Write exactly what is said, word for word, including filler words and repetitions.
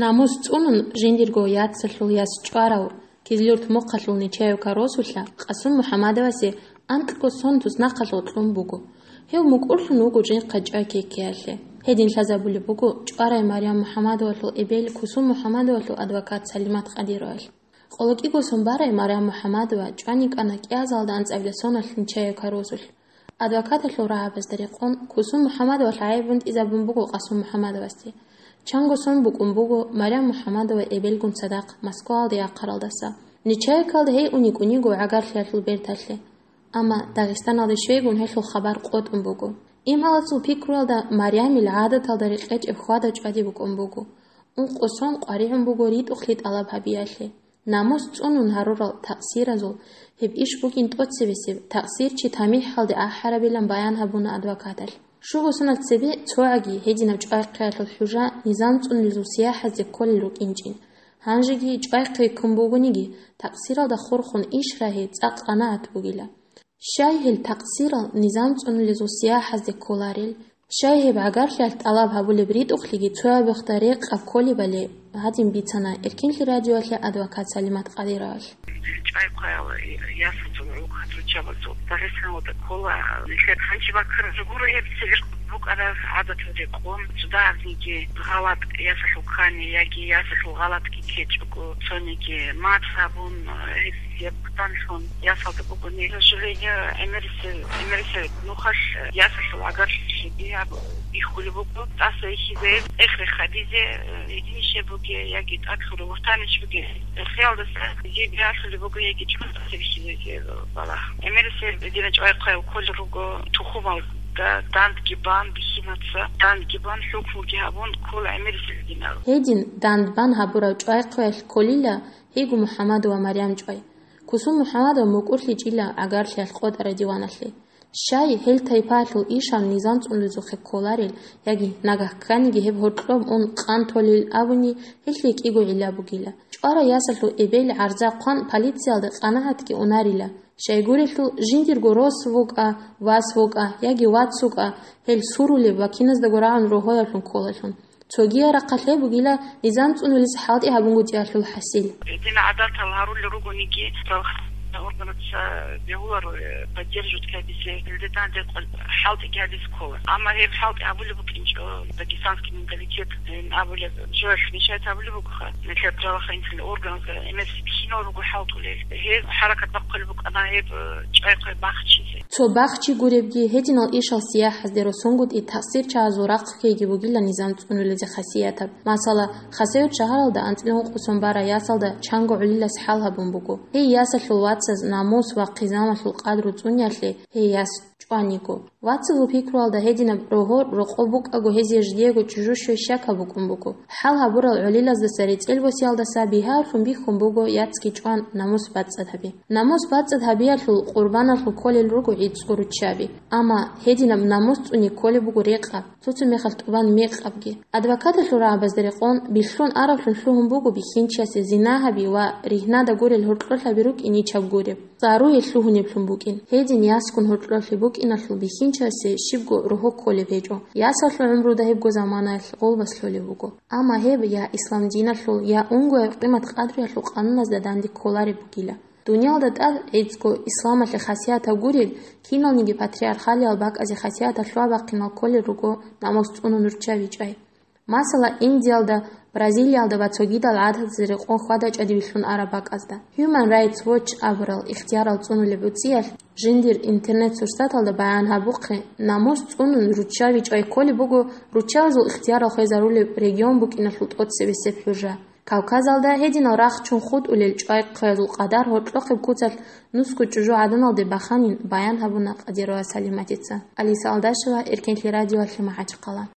Намус цӀунун жиндирго яцалъул яс чӀварав Кизлюрт мухъалъул Нечаевка росулъа Къасум МухӀамадовасе анкьго сон туснахъалъув кьун буго. Гьев мукӀурлъун вуго жинхъа чӀвай ккеялъе. Гьедин лъазабулеб буго чӀварай Марям МухӀамадовалъул эбел Кусум МухӀамадовалъул адвокат Салимат Къадировалъ. КъолокӀиго сон барай Марям МухӀамадова чӀван йикӀана кӀиазалда анцӀабилеб соналъ Нечаевка росулъ. Адвокаталъул рагӀабазда рекъон, Кусум МухӀамадовалъ гӀайиб бутӀизабун буго Къасум МухӀамадовасде. Чанго сон букӀун буго Марям МухӀамадова эбелгун цадахъ Москваялде яхъаралдаса. Нечаевкалда гьей ун йикӀун йиго гӀагарлъиялъул берталъе. Амма Дагъистаналде щвейгун гьелъул хабар къотӀун буго. Имгьаласул пикруялда Марямил гӀадаталда рекъечӀеб хьвада-чӀвади букӀун буго. Ункъо сон къваригӀун буго ритӀухълъи тӀалаб гьабиялъе. Намус цӀунун гьарурал такъсиразул гьеб иш бугин тӀоцебесеб, такъсирчи тамихӀалде ахӀарабилан баян гьабуна адвокаталъ. Щуго соналъ цебе цогӀаги гьединаб чӀвай-хъвеялъул хӀужа низам цӀунулезул сияхӀазде кколел рукӀинчӀин. Гьанжеги чӀвай-хъвей ккун бугониги, такъсиралда хурхун иш рагьи цӀакъ къанагӀат бугила. Щай гьел такъсирал низам цӀунулезул сияхӀазде кколарел? Щай гьеб гӀагарлъиялъ тӀалаб гьабулеб ритӀухълъиги цояб мехда рекъаб кколебали гьадин бицана Эркинлъи радиоялъе адвокат Салимат Къадировалъ. ЧӀвай-хъвеял ясазул гӀурхъад руччабазул Дагъистаналда ккола. Нилъер гьанчи баккараб гуро гьеб цевер букӀараб гӀадатал рекъон, цо дагьабниги гъалатӀ ясалъул ккани яги ясалъул гъалатӀги ккечӀого, цониги мад гьабун, гьеб Яб данлъун ясалда бугони, к сожалению, гӀемерисел, гӀемерисел нухалъ ясалъул гӀагарлъиги гьаб бихьулеб буго, тӀаса ихьизе, эхре хадизе, э, гьединищ буге, яги тӀадлъурав вуртанищ буге, эхиялдаса жеги алъулеб буго, яги чӀун тӀаса бихьизе, э, балагь. ГӀемерисел дина чӀвай-хъвеял кколел руго тухумалда, дандги бан бихьинаца, дандги бан хӀукмуги гьабун ккола гӀемерисел динал. Гьедин данд бан гьабурав чӀвай-хъвеялъ кколила, Гьего МухӀаммад ва Марям чӀвай. Кусум МухӀаммадов мукӀурлъичӀила гӀагарлъиялъ къотӀараб диваналъе. Щай, гьел тайпаялъул ишал низам цӀунулезухъе кколарел, яги нагагь кканиги гьеб гьоркьоб ун къан толел абуни, гьелъие кӀиго гӀилла бугила. ЧӀварай ясалъул эбел гӀарза хъван полициялда къанагӀатги унарила. Щайгурелъул жиндирго рос вукӀа, вас вукӀа, яги вац вукӀа, гьел сурулеб ва киназдаго рагӀун рогьояблъун кколалъун. Цогияб рахъалъе бугила низам цӀунулес хӀалтӀи гьабунгутӀиялъул хӀасил. Дин гӀадатал гьарулел ругониги, органаца бегьуларо, э, поддерживать гьабизе, гьелде данде къвал хӀалтӀиги гьабизе ккола. Амма гьеб хӀалтӀи гьабулеб букӀинчӀо, дагестанский менталитет, э, абулеб, жоялъ мешать гьабулеб бугоха, нилъер правоохранительный органазда гӀемерисеб кинал руго хӀалтӀулел. Гьеб хӀаракат бахъулеб букӀана гьеб, э, чӀвай-хъвей бахчизе. Цо бахчи гуребги, гьединал ишал сияхӀазде росунгутӀи такъсирчагӀазул рахъ ккейги бугила низам цӀунулезе хасиятаб. Масала, Хасавюрт шагьаралда анцӀила ункъо сон барай ясалда чанго гӀолилас хӀал гьабун буго. Гьей ясалъул вацаз намус ва хъизамалъул къадру цӀуниялъе гьей яс чӀваниго. Вацазул пикруялда гьединаб рогьо-рокъоб букӀаго гьезие жидеего чӀужу щвей щакаб букӀун буго. ХӀал гьабурал гӀолилаздаса рецӀел босиялдаса бигьаялъун бихьун буго яцги чӀван намус бацӀцӀад гьаби. Намус бацӀцӀад гьабиялъул къурбаналъул кколел руго гӀицӀго руччаби. Амма гьединаб намус цӀуни кколеб буго рекъаб, цо-цо мехалъ тӀубан мекъабги. Адвокаталъул рагӀабазда рекъон, бихьун араблъун лъугьун буго бихьинчиясе зина гьаби ва ригьнада гурел гьоркьолъаби рукӀин ичаб гуреб. Царуе лъугьунеблъун букӀин. Гьедин ясгун гьоркьолъи букӀиналъул бихьинчиясе щибго рогьо кколеб гьечӀо. Ясалъул гӀумруда гьебго заманаялъ гъолбас лъолеб буго. Амма гьеб я ислам диналъул, я унгояб къимат-къадруялъул къануназда данде кколареб бугила. Дуниялда тӀад гӀицӀго исламалъе хасиятаб гурел, киналниги патриархалиял бакӀазе хасиятаб лъугьа-бахъинал кколел руго намус цӀунун руччаби чӀвай. Масала, Индиялда, Бразилиялда ва цогидал гӀадатазе рекъон хьвада-чӀвади бихьун араб бакӀазда. Human Rights Watch абурал ихтиярал цӀунулеб уцӀиялъ жиндир интернет-сурсаталда баян гьабухъе, намус цӀунун руччаби чӀвай кколеб буго руччабазул ихтиярал хвезарулеб регион букӀиналъул тӀоцебесеб хӀужа. Кавказалда гьединал рахчун хутӀулел чӀвай-хъвеязул къадар гьоркьохъеб куцалъ нусго чӀужугӀаданалде баханин баян гьабуна Къадирова Салиматица. Алиса Алдашева, Эркенлъи радиоялъе, МахӀачхъала.